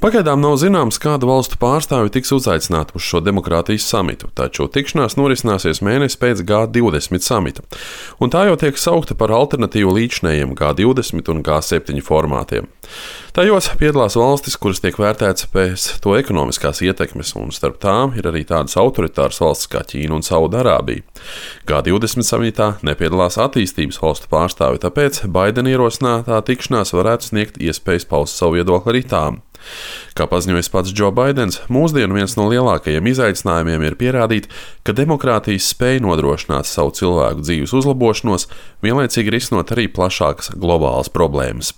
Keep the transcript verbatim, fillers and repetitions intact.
Pagaidām nav zināms, kāda valstu pārstāvji tiks uzaicināti uz šo demokrātijas samitu, taču tikšanās norisināsies mēnesi pēc G divdesmit samita. Un tā jau tiek saukta par alternatīvu līdzinējiem G divdesmit un G septiņi formātiem. Tajos piedalās valstis, kuras tiek vērtētas pēc to ekonomiskās ietekmes, un starp tām ir arī tādas autoritāras valstis kā Ķīna un Saudarābija. G divdesmit samitā nepiedalās attīstības valstu pārstāvji, tāpēc Baidena ierosinātā tikšanās varētu sniegt iespējas paust savu viedokli arī tām. Kā paziņojis pats Džo Baidens, mūsdienu viens no lielākajiem izaicinājumiem ir pierādīt, ka demokrātijas spēj nodrošināt savu cilvēku dzīves uzlabošanos, vienlaicīgi risinot arī plašākas globālas problēmas.